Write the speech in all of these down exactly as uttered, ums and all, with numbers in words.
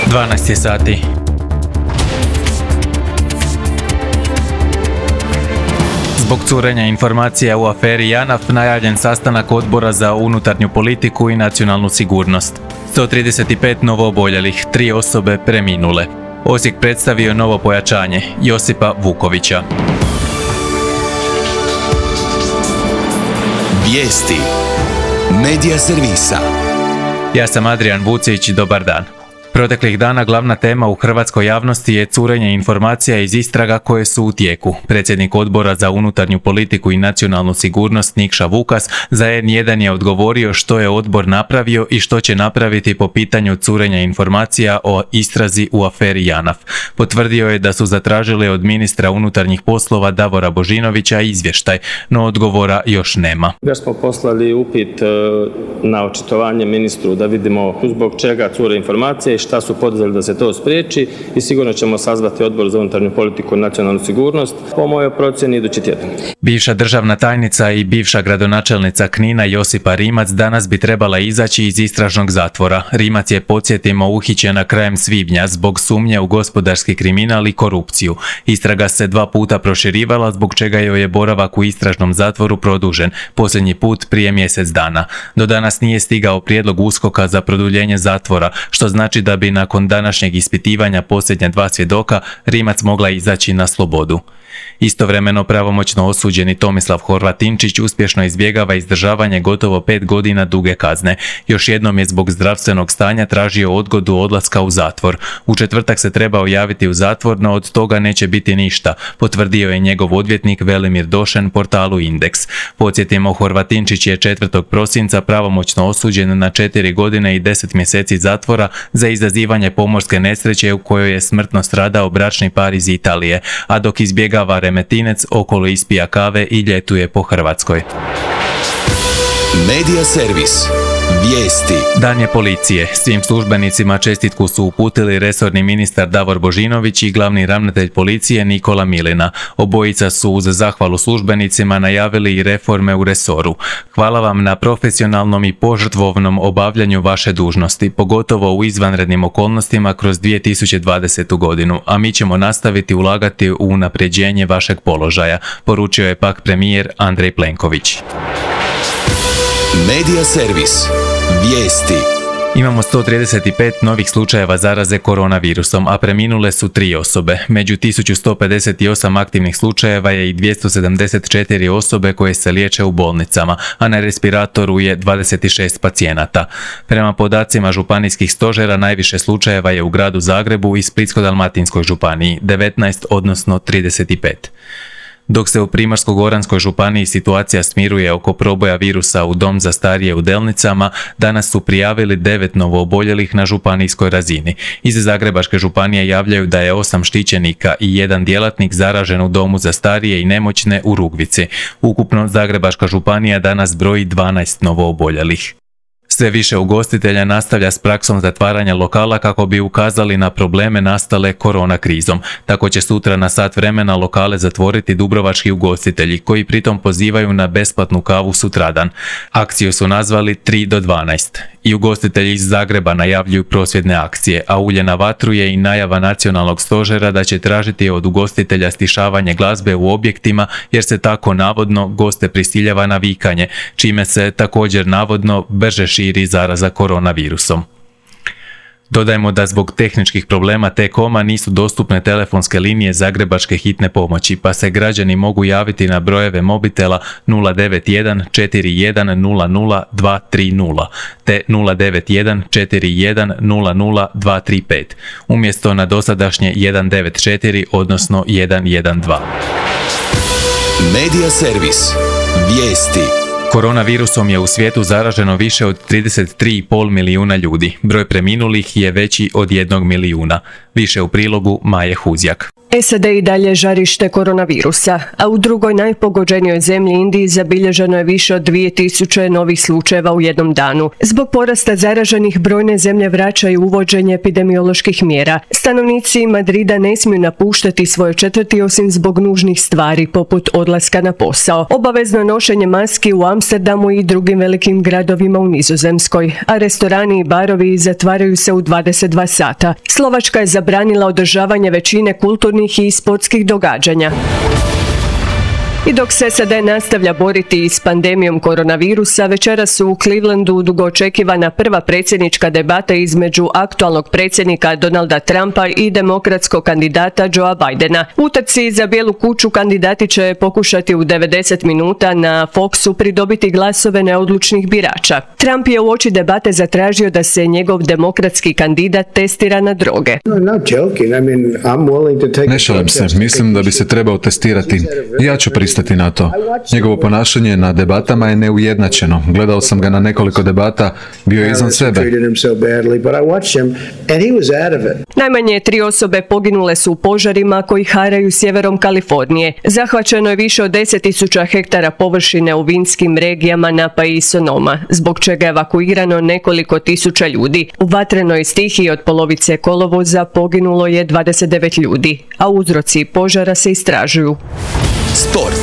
dvanaest je sati. Zbog curenja informacija u aferi JANAF najavljen sastanak Odbora za unutarnju politiku i nacionalnu sigurnost. sto trideset pet novooboljelih, tri osobe preminule. Osijek predstavio novo pojačanje, Josipa Vukovića. Vijesti Medija servisa. Ja sam Adrian Vucić, dobar dan. Proteklih dana glavna tema u hrvatskoj javnosti je curenje informacija iz istraga koje su u tijeku. Predsjednik Odbora za unutarnju politiku i nacionalnu sigurnost Nikša Vukas za en jedan je odgovorio što je odbor napravio i što će napraviti po pitanju curenja informacija o istrazi u aferi JANAF. Potvrdio je da su zatražili od ministra unutarnjih poslova Davora Božinovića izvještaj, no odgovora još nema. Već smo poslali upit na očitovanje ministru da vidimo zbog čega cure informacije i šta su poduzeli da se to spriječi i sigurno ćemo sazvati Odbor za unutarnju politiku i nacionalnu sigurnost po mojoj procjeni idući tjedan. Bivša državna tajnica i bivša gradonačelnica Knina Josipa Rimac danas bi trebala izaći iz istražnog zatvora. Rimac je, podsjetimo, uhićena krajem svibnja zbog sumnje u gospodarski kriminal i korupciju. Istraga se dva puta proširivala, zbog čega joj je boravak u istražnom zatvoru produžen, posljednji put prije mjesec dana. Do danas nije stigao prijedlog USKOK-a za produljenje zatvora, što znači da bi nakon današnjeg ispitivanja posljednja dva svjedoka Rimac mogla izaći na slobodu. Istovremeno pravomoćno osuđeni Tomislav Horvatinčić uspješno izbjegava izdržavanje gotovo pet godina duge kazne. Još jednom je zbog zdravstvenog stanja tražio odgodu odlaska u zatvor. U četvrtak se trebao javiti u zatvor, no od toga neće biti ništa, potvrdio je njegov odvjetnik Velimir Došen portalu Indeks. Podsjetimo, Horvatinčić je četvrtog prosinca pravomoćno osuđen na četiri godine i deset mjeseci zatvora za izazivanje pomorske nesreće u kojoj je smrtno stradao bračni par iz Italije, a dok izbjegava Remetinec okolo ispija kave i ljetuje po Hrvatskoj. Medija servis. Vijesti. Dan je policije. Svim službenicima čestitku su uputili resorni ministar Davor Božinović i glavni ravnatelj policije Nikola Milina. Obojica su uz zahvalu službenicima najavili i reforme u resoru. Hvala vam na profesionalnom i požrtvovnom obavljanju vaše dužnosti, pogotovo u izvanrednim okolnostima kroz dvije tisuće dvadesetu godinu, a mi ćemo nastaviti ulagati u unapređenje vašeg položaja, poručio je pak premijer Andrej Plenković. Medija servis. Vijesti. Imamo sto trideset pet novih slučajeva zaraze koronavirusom, a preminule su tri osobe. Među tisuću sto pedeset osam aktivnih slučajeva je i dvjesto sedamdeset četiri osobe koje se liječe u bolnicama, a na respiratoru je dvadeset šest pacijenata. Prema podacima županijskih stožera najviše slučajeva je u gradu Zagrebu i Splitsko-dalmatinskoj županiji, devetnaest odnosno trideset pet. Dok se u Primorsko-goranskoj županiji situacija smiruje oko proboja virusa u dom za starije u Delnicama, danas su prijavili devet novooboljelih na županijskoj razini. Iz Zagrebačke županije javljaju da je osam štićenika i jedan djelatnik zaražen u domu za starije i nemoćne u Rugvici. Ukupno Zagrebačka županija danas broji dvanaest novooboljelih. Sve više ugostitelja nastavlja s praksom zatvaranja lokala kako bi ukazali na probleme nastale korona krizom. Tako će sutra na sat vremena lokale zatvoriti dubrovački ugostitelji, koji pritom pozivaju na besplatnu kavu sutradan. Akciju su nazvali tri do dvanaest. I ugostitelji iz Zagreba najavljuju prosvjedne akcije, a ulje na vatru je i najava nacionalnog stožera da će tražiti od ugostitelja stišavanje glazbe u objektima, jer se tako navodno goste prisiljava na vikanje, čime se također navodno brže širi zaraza koronavirusom. Dodajmo da zbog tehničkih problema T-Coma nisu dostupne telefonske linije Zagrebačke hitne pomoći, pa se građani mogu javiti na brojeve mobitela nula devet jedan četiri jedan nula nula dva tri nula te nula devet jedan četiri jedan nula nula dva tri pet, umjesto na dosadašnje jedan devet četiri odnosno jedan jedan dva. Medija servis. Vijesti. Koronavirusom je u svijetu zaraženo više od trideset tri zarez pet milijuna ljudi. Broj preminulih je veći od jednog milijuna. Više u prilogu Maje Huzjak. S A D i dalje žarište koronavirusa, a u drugoj najpogođenijoj zemlji Indiji zabilježeno je više od dvije tisuće novih slučajeva u jednom danu. Zbog porasta zaraženih brojne zemlje vraćaju uvođenje epidemioloških mjera. Stanovnici Madrida ne smiju napuštati svoje četvrti osim zbog nužnih stvari, poput odlaska na posao. Obavezno nošenje maski u Amsterdamu i drugim velikim gradovima u Nizozemskoj, a restorani i barovi zatvaraju se u dvadeset dva sata. Slovačka je zabranila održavanje većine kulturnih i sportskih događanja. I dok se S A D nastavlja boriti s pandemijom koronavirusa, večeras su u Clevelandu dugo očekivana prva predsjednička debata između aktualnog predsjednika Donalda Trumpa i demokratskog kandidata Joea Bidena. U utrci za Bijelu kuću kandidati će pokušati u devedeset minuta na Foxu pridobiti glasove neodlučnih birača. Trump je uoči debate zatražio da se njegov demokratski kandidat testira na droge. Ne šalim se, mislim da bi se trebao testirati. Ja ću pristati na to. Njegovo ponašanje na debatama je neujednačeno. Gledao sam ga na nekoliko debata, bio je izvan sebe. Najmanje tri osobe poginule su u požarima koji haraju sjeverom Kalifornije. Zahvaćeno je više od deset tisuća hektara površine u vinskim regijama Napa i Sonoma, zbog čega je evakuirano nekoliko tisuća ljudi. U vatrenoj stihiji od polovice kolovoza poginulo je dvadeset devet ljudi, a uzroci požara se istražuju. Sport.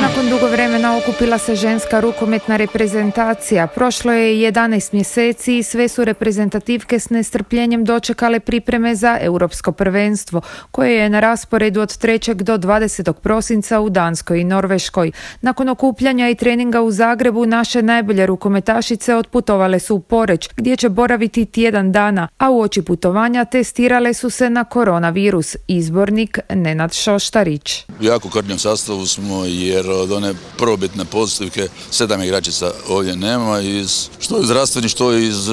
Nakon dugo vremena okupila se ženska rukometna reprezentacija. Prošlo je jedanaest mjeseci i sve su reprezentativke s nestrpljenjem dočekale pripreme za europsko prvenstvo, koje je na rasporedu od trećeg do dvadesetog prosinca u Danskoj i Norveškoj. Nakon okupljanja i treninga u Zagrebu, naše najbolje rukometašice otputovale su u Poreč, gdje će boraviti tjedan dana, a uoči putovanja testirale su se na koronavirus. Izbornik Nenad Šoštarić. U jako krnjem sastavu smo, jer od one prvobitne pozitivke sedam igračica ovdje nema, iz, što iz zdravstvenih, što iz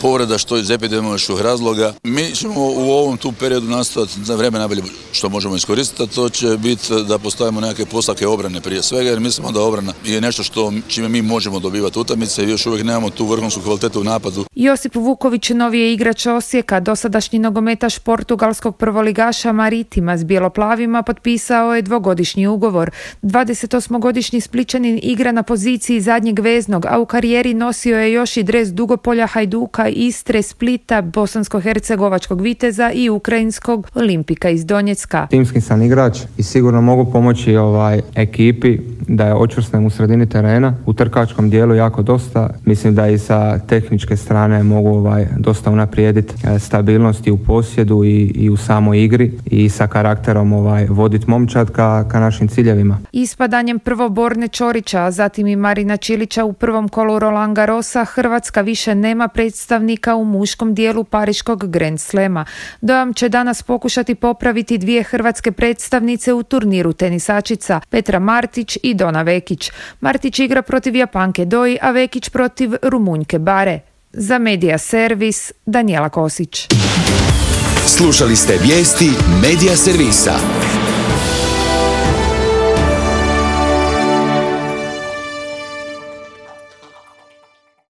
povreda, što iz epidemioloških razloga. Mi ćemo u ovom tu periodu nastaviti za vrijeme najbolje što možemo iskoristiti, a to će biti da postavimo neke postavke obrane prije svega, jer mislimo da obrana je nešto što čime mi možemo dobivati utakmice i još uvijek nemamo tu vrhunsku kvalitetu u napadu. Josip Vuković, novi je igrač Osijeka, dosadašnji nogometaš portugalskog prvoligaša Maritima s bijeloplavima, potpisao je dvogodišnji ugovor. dvadesetosmogodišnji Splićanin igra na poziciji zadnjeg veznog, a u karijeri nosio je još i dres Dugopolja, Hajduka, Istre, Splita, bosansko-hercegovačkog Viteza i ukrajinskog Olimpika iz Donjecka. Timski sam igrač i sigurno mogu pomoći ovaj ekipi da je očvrsnem u sredini terena, u trkačkom dijelu jako dosta. Mislim da i sa tehničke strane mogu ovaj dosta unaprijediti stabilnosti u posjedu i, i u samoj igri i sa karakterom ovaj voditi momčad ka, ka našim ciljevima. Ispadanjem prvo Borne Čorića, a zatim i Marina Čilića u prvom kolu Roland Garrosa, Hrvatska više nema predstavnika u muškom dijelu pariškog Grand Slema. Dojam će danas pokušati popraviti dvije hrvatske predstavnice u turniru tenisačica, Petra Martić i Dona Vekić. Martić igra protiv Japanke Doi, a Vekić protiv Rumunjke Bare. Za Medija Servis, Danijela Kosić. Slušali ste vijesti Medija Servisa.